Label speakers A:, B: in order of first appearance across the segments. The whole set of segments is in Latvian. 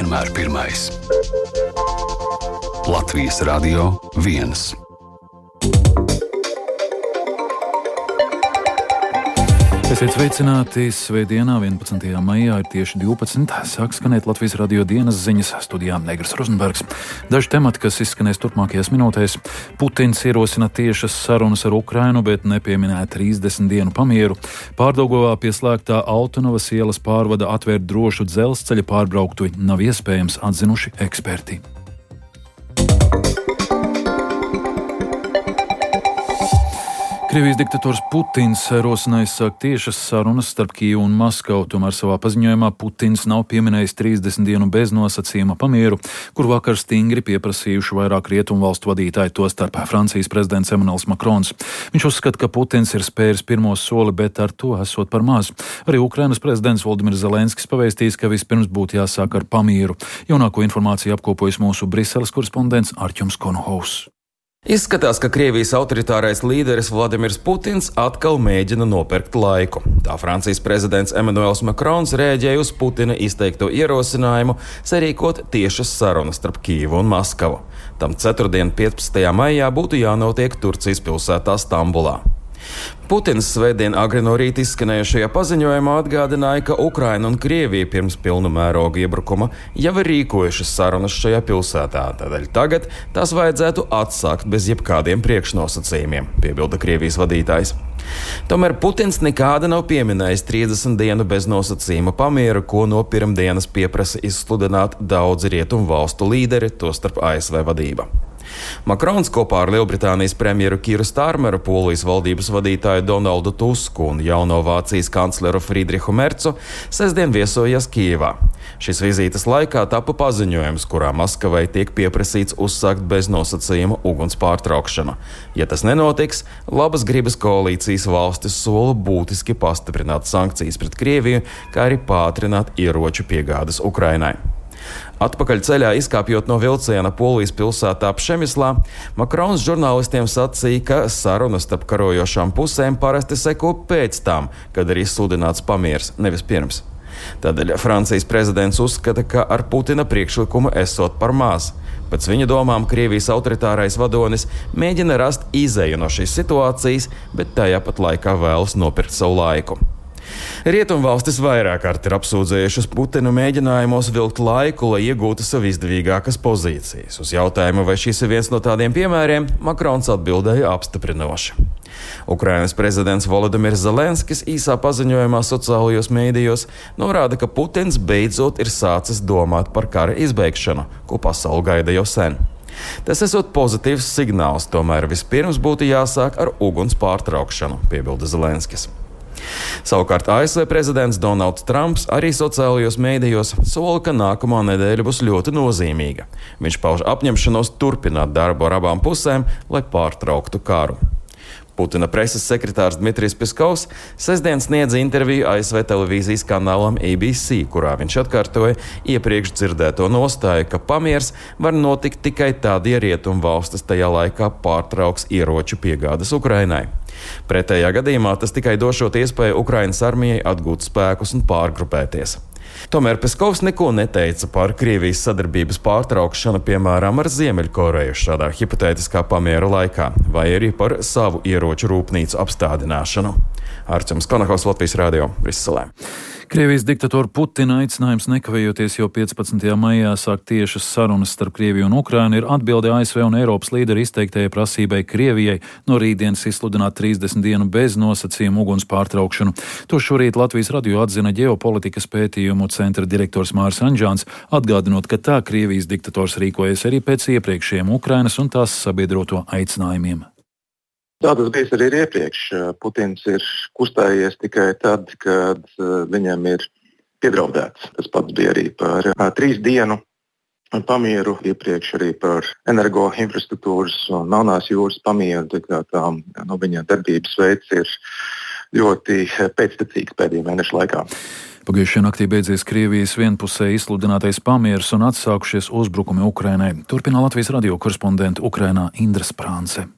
A: vienmēr pirmais. Latvijas Radio 1.
B: Esiet sveicināti svētdienā, 11. maijā, ir tieši 12. Sāk skanēt Latvijas radio dienas ziņas, studijā Negras Rozenbergs. Daži temati, kas izskanēs turpmākajās minūtēs. Putins ierosina tiešas sarunas ar Ukrainu, bet nepieminēja 30 dienu pamieru. Pārdaugavā pie slēgtā Autonavas ielas pārvada atvērt drošu dzelzceļa pārbrauktuvi nav iespējams, atzinuši eksperti. Krievijas diktators Putins rosināja sākt tiešas sarunas starp Kijevu un Maskavu, tomēr savā paziņojumā Putins nav pieminējis 30 dienu beznosacījuma pamieru, kur vakar stingri pieprasījuši vairāk rietumu valstu vadītāji, tostarp Francijas prezidents Emmanuels Macrons. Viņš uzskata, ka Putins ir spēris pirmo soli, bet ar to esot par maz. Arī Ukrainas prezidents Volodimirs Zelenskis pavēstījis, ka vispirms būtu jāsāk ar pamieru. Jaunāko informāciju apkopojas mūsu Briseles korespondents Artjums Konohovs.
C: Izskatās, ka Krievijas autoritārais līderis Vladimirs Putins atkal mēģina nopirkt laiku. Tā Francijas prezidents Emmanuels Macrons rēģēja uz Putina izteikto ierosinājumu sarīkot tiešas sarunas starp Kijevu un Maskavu. Tam ceturtdien 15. maijā būtu jānotiek Turcijas pilsētā Stambulā. Putins svētdien agri no rīta izskanējušajā paziņojumā atgādināja, ka Ukraina un Krievija pirms pilnu mēroga iebrukuma jau ir rīkojušas sarunas šajā pilsētā, tādēļ tagad tās vajadzētu atsākt bez jebkādiem priekšnosacījumiem, piebilda Krievijas vadītājs. Tomēr Putins nekāda nav pieminējis 30 dienu bez nosacījuma pamieru, ko no pirmdienas pieprasa izsludināt daudzi rietumu valstu līderi, tostarp ASV vadība. Makrons kopā ar Lielbritānijas premjeru Kīru Starmeru, Polijas valdības vadītāju Donaldu Tusku un jauno Vācijas kancleru Friedrihu Mercu sestdien viesojās Kijevā. Šīs vizītes laikā tapa paziņojums, kurā Maskavai tiek pieprasīts uzsākt bez nosacījuma uguns pārtraukšanu. Ja tas nenotiks, labas gribas koalīcijas valstis sola būtiski pastiprināt sankcijas pret Krieviju, kā arī pātrināt ieroču piegādes Ukrainai. Atpakaļ ceļā izkāpjot no vilciena Polijas pilsētā Pšemislā, Makrons žurnālistiem sacīja, ka sarunas starp karojošām pusēm parasti seko pēc tam, kad ir izsludināts pamiers, nevis pirms. Tādēļ Francijas prezidents uzskata, ka ar Putina priekšlikumu esot par maz. Pēc viņa domām Krievijas autoritārais vadonis mēģina rast izeju no šīs situācijas, bet tajā pat laikā vēlas nopirkt savu laiku. Rietumvalstis vairāk kārt ir apsūdzējušas Putinu mēģinājumos vilkt laiku, lai iegūtu sev izdevīgākas pozīcijas. Uz jautājumu, vai šis ir viens no tādiem piemēriem, Makrons atbildēja apstiprinoši. Ukrainas prezidents Volodimirs Zelenskis īsā paziņojumā sociālajos mēdījos norāda, ka Putins beidzot ir sācis domāt par kara izbeigšanu, ko pasaule gaida jau sen. Tas esot pozitīvs signāls, tomēr vispirms būtu jāsāk ar uguns pārtraukšanu, piebilda Zelenskis. Savukārt ASV prezidents Donalds Trumps arī sociālajos mēdījos sola, ka nākamā nedēļa būs ļoti nozīmīga. Viņš pauž apņemšanos turpināt darbu ar abām pusēm, lai pārtrauktu karu. Putina preses sekretārs Dmitrijs Piskovs sestdien sniedza interviju ASV televīzijas kanālam ABC, kurā viņš atkārtoja iepriekš dzirdēto nostāju, ka pamiers var notikt tikai tad, ja rietumu valstis tajā laikā pārtrauks ieroču piegādes Ukrainai. Pretējā gadījumā tas tikai došot iespēju Ukrainas armijai atgūt spēkus un pārgrupēties. Tomēr Peskovs neko neteica par Krievijas sadarbības pārtraukšanu, piemēram, ar Ziemeļkoreju šādā hipotētiskā pamiera laikā, vai arī par savu ieroču rūpnīcu apstādināšanu. Artjums Konohovs, Latvijas Radio, Briselē.
B: Krievijas diktatora Putina aicinājums nekavējoties jau 15. maijā sākt tiešas sarunas starp Krieviju un Ukrainu ir atbilde ASV un Eiropas līderu izteiktajai prasībai Krievijai no rītdienas izsludināt 30 dienu bez nosacījuma uguns pārtraukšanu. To šorīt Latvijas radio atzina ģeopolitikas pētījumu centra direktors Māris Anģāns, atgādinot, ka tā Krievijas diktators rīkojas arī pēc iepriekšējiem Ukrainas un tās sabiedroto aicinājumiem.
D: Tā tas bijis arī iepriekš. Putins ir kustējies tikai tad, kad viņam ir piedraudēts. Tas pats bija arī par 3 dienu pamieru, iepriekš arī par energoinfrastruktūras un Melnās jūras pamieru. Viņa darbības veids ir ļoti pēctecīgs pēdējo mēnešu laikā.
B: Pagājušajā naktī beidzies Krievijas vienpusēji izsludinātais pamieris un atsākušies uzbrukumi Ukrainai. Turpina Latvijas radio korespondente Ukrainā Indra Sprānce.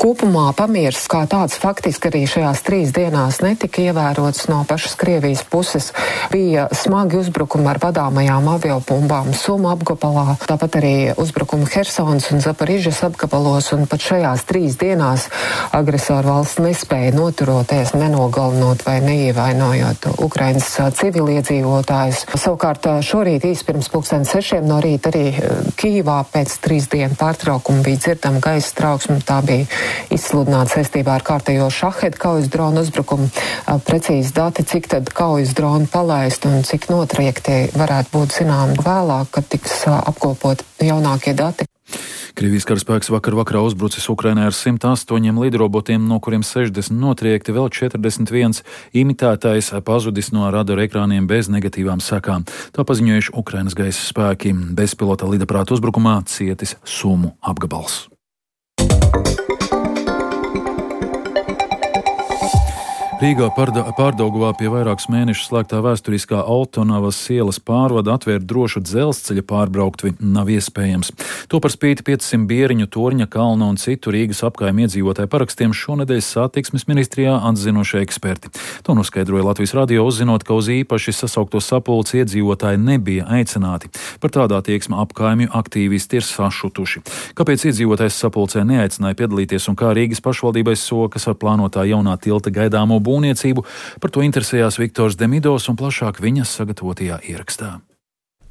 E: Kopumā pamiers kā tāds faktiski arī šajās 3 dienās netika ievērots no pašas Krievijas puses. Bija smagi uzbrukumi ar vadāmajām aviobumbām Sumu apgabalā, tāpat arī uzbrukumi Hersonas un Zaporižas apgabalos, un pat šajās 3 dienās agresoru valsts nespēja noturoties, nenogalinot vai neievainojot Ukrainas civiliedzīvotājus. Savukārt šorīt īsi pirms 6:00 no rīta arī Kijivā pēc 3 dienu pārtraukuma bija dzirdama gaisa trauksme. Tā bija izsludināta saistībā ar kārtējo Šahed kaujas dronu uzbrukumu. Precīzi dati, cik tad kaujas droni palaist un cik notriekti varētu būt zināmi vēlāk, kad tiks apkopot jaunākie dati.
B: Krievijas karaspēks vakarā uzbrucis Ukrainai ar 108 lidrobotiem, no kuriem 60 notriekti, vēl 41 imitētais pazudis no radara ekrāniem bez negatīvām sekām. Tā paziņojuši Ukrainas gaisa spēki. Bezpilota lidaprāta uzbrukumā cietis Sumu apgabals. Rīgā Pārdaugavā pie vairākus mēnešus slēgtā vēsturiskā Altonavas ielas pārvada atvērt drošu dzelzceļa pārbrauktuvi nav iespējams. To par spīti 500 Bieriņu, Torņa kalna un citu Rīgas apkaimi iedzīvotāju parakstiem šonedēļ satiksmes ministrijā atzinušie eksperti. To noskaidroja Latvijas radio, uzzinot, ka uz īpaši sasaukto sapulci iedzīvotāji nebija aicināti. Par tādā attieksmi apkaimju aktīvisti ir sašutuši. Kāpēc iedzīvotājs sapulcē neaicināja piedalīties un kā Rīgas pašvaldībai sokas ar plānotā jaunā tilta gaidāmo būvniecību, par to interesējās Viktors Demidos un plašāk viņas sagatavotajā ierakstā.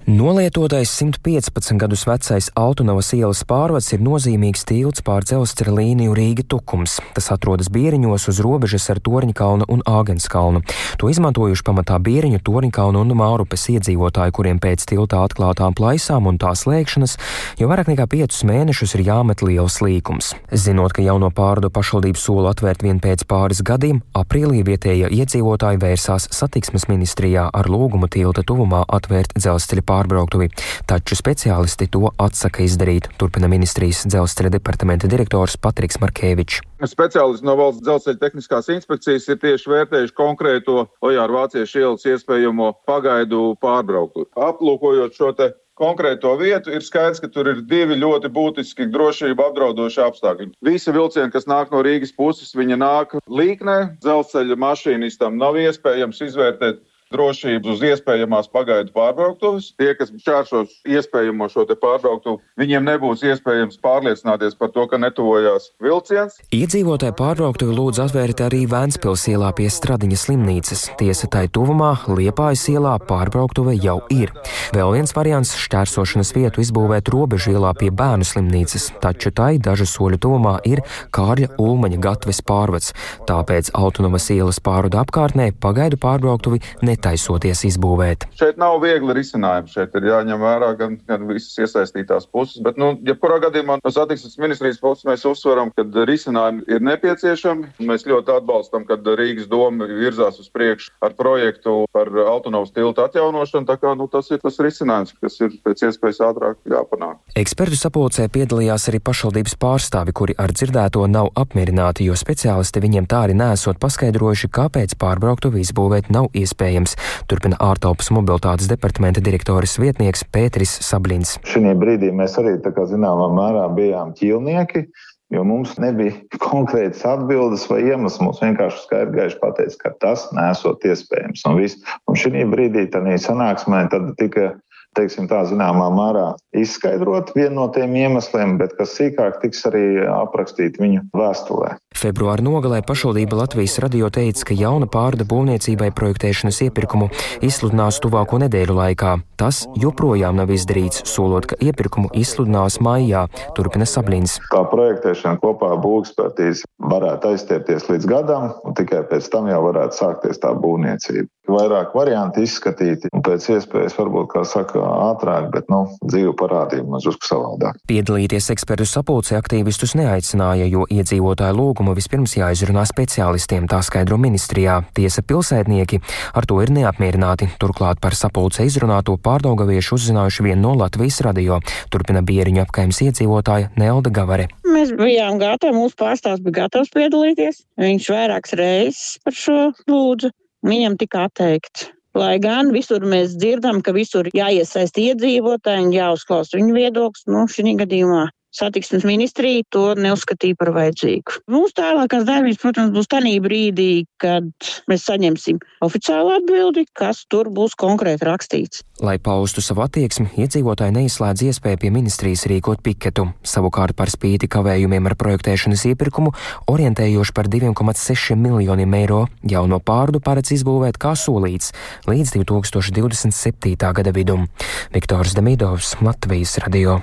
F: Nolietotais 115 gadus vecais Altonavas ielas pārvads ir nozīmīgs tilts pār dzelzceļa līniju Rīga-Tukums. Tas atrodas Bieriņos uz robežas ar Torņkalnu un Āgenskalnu. To izmantojuši pamatā Bieriņu, Torņkalnu un Mārupes iedzīvotāji, kuriem pēc tiltā atklātām plaisām un tā slēgšanas jau vairāk nekā 5 mēnešus ir jāmet liels līkums. Zinot, ka jauno pārvadu pašvaldību sola atvērt vien pēc pāris gadiem, aprīlī vietējie iedzīvotāji vērsās satiksmes ministrijā ar lūgumu tilta tuvumā atvērt dzelzceļa pārbrauktuvi, taču speciālisti to atsaka izdarīt, turpina ministrijas dzelzceļa departamenta direktors Patriks Markēvičs.
G: Speciālisti no Valsts dzelzceļa tehniskās inspekcijas ir tieši vērtējuši konkrēto Ojāru Vāciešu ielas iespējamo pagaidu pārbrauktuvi. Aplūkojot šo te konkrēto vietu, ir skaidrs, ka tur ir 2 ļoti būtiski drošību apdraudoši apstākļi. Visi vilcieni, kas nāk no Rīgas puses, viņi nāk līknē. Dzelzceļa mašīnistam nav iespējams izvērtēt drošību uz iespējamās pagaidu pārbrauktuves. Tie, kas šķērsos iespējamo šo te pārbrauktuvi, viņiem nebūs iespējams pārliecināties par to, ka netuvojās vilciens.
F: Iedzīvotāji pārbrauktuvi lūdz atvērt arī Vēnspils ielā pie Stradiņa slimnīcas. Tiesa tai tuvumā Liepājas ielā pārbrauktuve jau ir. Vēl viens variants - šķērsošanas vietu izbūvēt Robežu ielā pie Bērnu slimnīcas, taču tai dažu soļu tuvumā ir Kārļa Ulmaņa gatves pārvads. Tāpēc Altonavas ielas pārvada apkārtnē pagaidu pārbrauktuvi netaisoties izbūvēt.
G: Šeit nav viegli risinājumi. Šeit ir jāņem vērā gan visas iesaistītās puses, bet, jebkurā gadījumā no satiksmes ministrijas puses mēs uzsveram, ka risinājumi ir nepieciešami. Mēs ļoti atbalstam, kad Rīgas doma virzās uz priekšu ar projektu par Altonavas tiltu atjaunošanu, tā kā tas ir tas risinājums, kas ir pēc iespējas ātrāk jāpanāk.
F: Ekspertu sapulcē piedalījās arī pašvaldības pārstāvi, kuri ar dzirdēto nav apmierināti, jo speciālisti viņiem tā arī nesot paskaidrojuši, kāpēc pārbrauktuvi izbūvēt nav iespējams. Turpina ārtelpas mobilitātes departamenta direktoris vietnieks Pēteris Sablins.
H: Šī brīdī mēs arī zināmā mērā bijām ķīlnieki, jo mums nebija konkrētas atbildes vai iemesls. Mums vienkārši skaidri gaiši pateica, ka tas nesot iespējams. Un šī brīdī tādā sanāksmē tad tika zināmā mērā izskaidrot vienu no tiem iemesliem, bet kas sīkāk tiks arī aprakstīt viņu vēstulē.
F: Februāra nogalē pašvaldība Latvijas radio teica, ka jauna pārvada būvniecībai projektēšanas iepirkumu izsludinās tuvāko nedēļu laikā. Tas joprojām nav izdarīts, solot, ka iepirkumu izsludinās maijā, turpina Sablins.
H: Tā projektēšana kopā ar būvekspertīzi varētu aizstiepties līdz gadam, un tikai pēc tam jau varētu sākties tā būvniecība. Vairāk varianti izskatīti, un pēc iespējas varbūt, kā saka, ātrāk, bet dzīve parādīja mums drusku savādāk.
F: Piedalīties ekspertu sapulcē aktīvistus neaicināja, jo iedzīvotāju lūgumu vispirms jāizrunā speciālistiem, tā skaidro ministrijā. Tiesa pilsētnieki ar to ir neapmierināti. Turklāt par sapulcē izrunāto pārdaugaviešu uzzinājuši vien no Latvijas radio, turpina Bieriņu apkaimes iedzīvotāja Nelda Gavare.
I: Mēs bijām gatavi, mūsu pārstāvs bija gatavs piedalīties. Viņš vairākas reizes par šo lūdzu. Viņam tika atteikts. Lai gan visur mēs dzirdam, ka visur jāiesaist iedzīvotāji un jāuzklaus viņu viedoklis, šī gadījumā satiksmes ministrija to neuzskatīja par vajadzīgu. Mūsu tālākās darbības, protams, būs tanī brīdī, kad mēs saņemsim oficiālu atbildi, kas tur būs konkrēti rakstīts.
F: Lai paustu savu attieksmi, iedzīvotāji neizslēdz iespēju pie ministrijas rīkot piketu. Savukārt par spīti kavējumiem ar projektēšanas iepirkumu, orientējoši par 2,6 miljoniem eiro, jauno pārdu paredz izbūvēt kā solīts līdz 2027. gada vidum. Viktors Demidovs, Latvijas radio.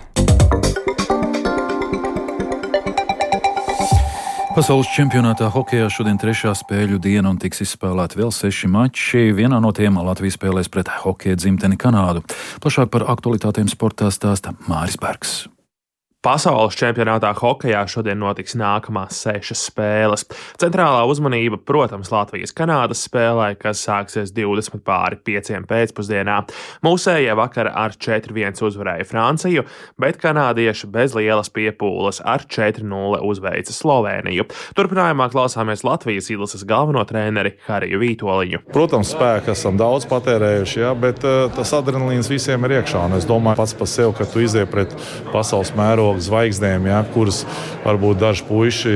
B: Pasaules čempionātā hokejā šodien 3. spēļu diena un tiks izspēlēti vēl 6 mači. Vienā no tiem Latvija spēlēs pret hokeja dzimteni Kanādu. Plašāk par aktualitātēm sportā stāsta Māris Bergs.
J: Pasaules čempionātā hokejā šodien notiks nākamās 6 spēles. Centrālā uzmanība, protams, Latvijas-Kanādas spēlē, kas sāksies 5:20 pēcpusdienā. Mūsējie vakar ar 4-1 uzvarēja Franciju, bet kanādieši bez lielas piepūles ar 4-0 uzveica Slovēniju. Turpinājumā klausāmies Latvijas izlases galveno treneri Hariju Vītoliņu.
K: Protams, spēku esam daudz patērējuši, bet tas adrenalīns visiem ir iekšā. Un es domāju pats par sevi, ka tu iziet pret pasaules mērogu zvaigznēm, kuras varbūt daži puiši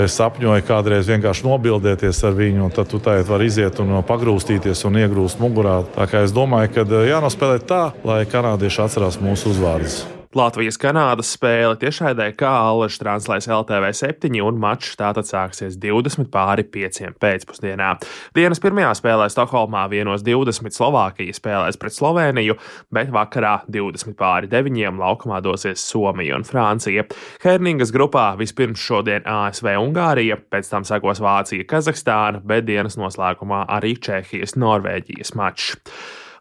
K: sapņoja kādreiz vienkārši nobildēties ar viņu, un tad tu tagad vari iziet un pagrūstīties un iegrūst mugurā. Tā kā es domāju, ka jānospēlē tā, lai kanādieši atcerās mūsu uzvārdus.
J: Latvijas-Kanādas spēle tiešraidē kā allaž translēs LTV7 un mačs tātad sāksies 20:05 pēcpusdienā. Dienas pirmajā spēlē Stokholmā 1:20 Slovākija spēlēs pret Slovēniju, bet vakarā 20:09 laukumā dosies Somija un Francija. Herningas grupā vispirms šodien ASV Ungārija, pēc tam sekos Vācija Kazahstāna, bet dienas noslēgumā arī Čehijas Norvēģijas mačs.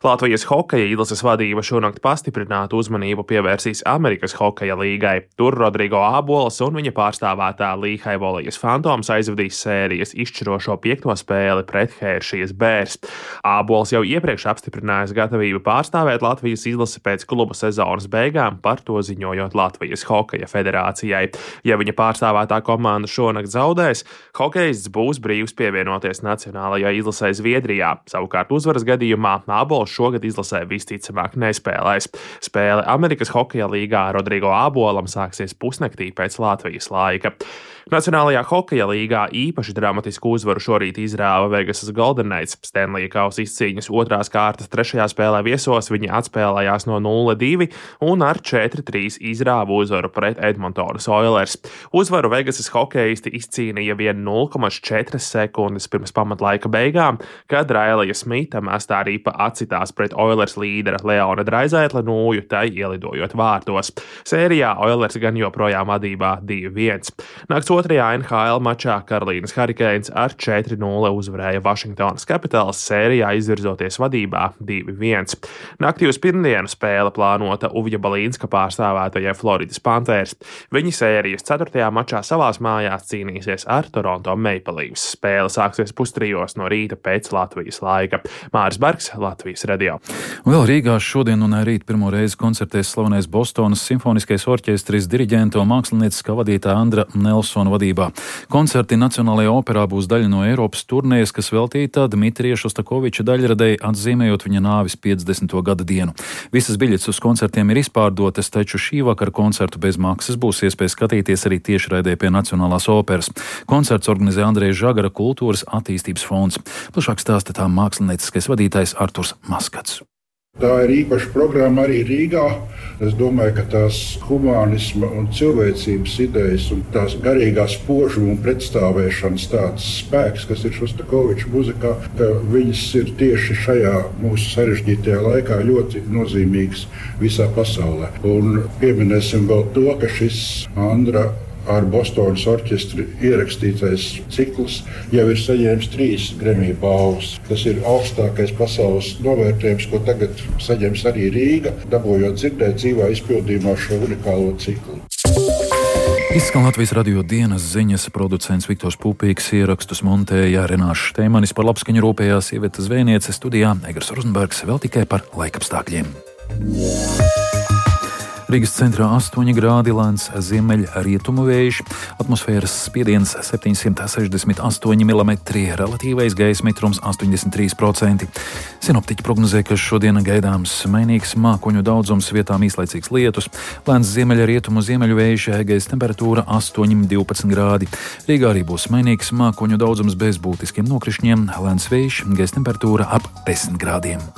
J: Latvijas hokeja izlases vadība šonakt pastiprinātu uzmanību pievērsīs Amerikas hokeja līgai. Tur Rodrigo Ābols un viņa pārstāvētā Lehigh Volley's Phantoms aizvadīs sērijas izšķirošo 5. spēli pret Hershey's Bears. Ābols jau iepriekš apstiprinājis gatavību pārstāvēt Latvijas izlasi pēc kluba sezonas beigām, par to ziņojot Latvijas hokeja federācijai. Ja viņa pārstāvētā komanda šonakt zaudēs, hokejists būs brīvs pievienoties nacionālajai izlasei Zviedrijā. Savukārt uzvaras gadījumā Ābols šogad izlasē visticamāk nespēlēs. Spēle Amerikas hokeja līgā Rodrigo Ābolam sāksies pusnaktī pēc Latvijas laika. Nacionālajā hokeja līgā īpaši dramatisku uzvaru šorīt izrāva Vegasas Golden Knights. Stanley kausa izcīņas 2. kārtas 3. spēlē viesos viņi atspēlējās no 0-2 un ar 4-3 izrāva uzvaru pret Edmontonas Oilers. Uzvaru Vegasas hokeisti izcīnīja vien 0,4 sekundes pirms pamatlaika beigām, kad Railija Smita mestā ripa atcitās pret Oilers līdera Leona Draisaitla nūju, tai ielidojot vārtos. Sērijā Oilers gan joprojām vadībā 2-1. Nakts 2. NHL mačā Karolīnas Hurricanes ar 4-0 uzvarēja Washingtonas Capitals, sērijā izvirzoties vadībā 2-1. Naktī uz pirmdienu spēle plānota Uvja Balīnska pārstāvētajai Floridas Panthers. Viņi sērijas 4. mačā savās mājās cīnīsies ar Toronto Maple Leafs. Spēle sāksies 2:30 no rīta pēc Latvijas laika. Māris Bergs, Latvijas radio.
B: Vēl Rīgā šodien un rīt pirmo reizi koncertēs slavenais Bostonas simfoniskais orķestris diriģenta un mākslinieckā vadītāja Andra Nelsona vadībā. Koncerti Nacionālajā operā būs daļa no Eiropas turnējas, kas veltīta Dmitrija Šostakoviča daļradei, atzīmējot viņa nāvis 50. gada dienu. Visas biļetes uz koncertiem ir izpārdotas, taču šī vakara koncertu bez maksas būs iespēja skatīties arī tiešraidē pie Nacionālās operas. Koncerts organizē Andreja Žagara Kultūras attīstības fonds. Plašāk stāsta tā mākslinieckais vadītājs Arturs Maskats.
L: Tā ir īpaša programma arī Rīgā. Es domāju, ka tās humānisma un cilvēcības idejas un tās garīgās spožuma un pretstāvēšanas tāds spēks, kas ir Šostakoviča muzikā, ka viņas ir tieši šajā mūsu sarežģītajā laikā ļoti nozīmīgas visā pasaulē. Un pieminēsim vēl to, ka šis Andra ar Bostonas orķestri ierakstītais cikls jau ir saņēmis 3 Grammy balvas. Tas ir augstākais pasaules novērtējums, ko tagad saņems arī Rīga, dabūjot dzirdēt dzīvā izpildījumā šo unikālo ciklu.
B: Izskan Latvijas radio dienas ziņas, producents Viktors Pupīks, ierakstus montēja Renāša Šteimanis, par labskaņu rūpējās Iveta Zvēniece, studijā Egars Rozenbergs, vēl tikai par laikapstākļiem. Rīgas centrā 8 grādi, lēns ziemeļrietumu vējš, atmosfēras spiediens 768 mm, relatīvais gaisa mitrums 83%. Sinoptiķi prognozē, ka šodien gaidāms mainīgs mākoņu daudzums, vietām īslaicīgs lietus, lēns ziemeļrietumu ziemeļu vējš, gaisa temperatūra 8–12 grādi. Rīgā arī būs mainīgs mākoņu daudzums bez būtiskiem nokrišņiem, lēns vējš, gaisa temperatūra ap 10 grādiem.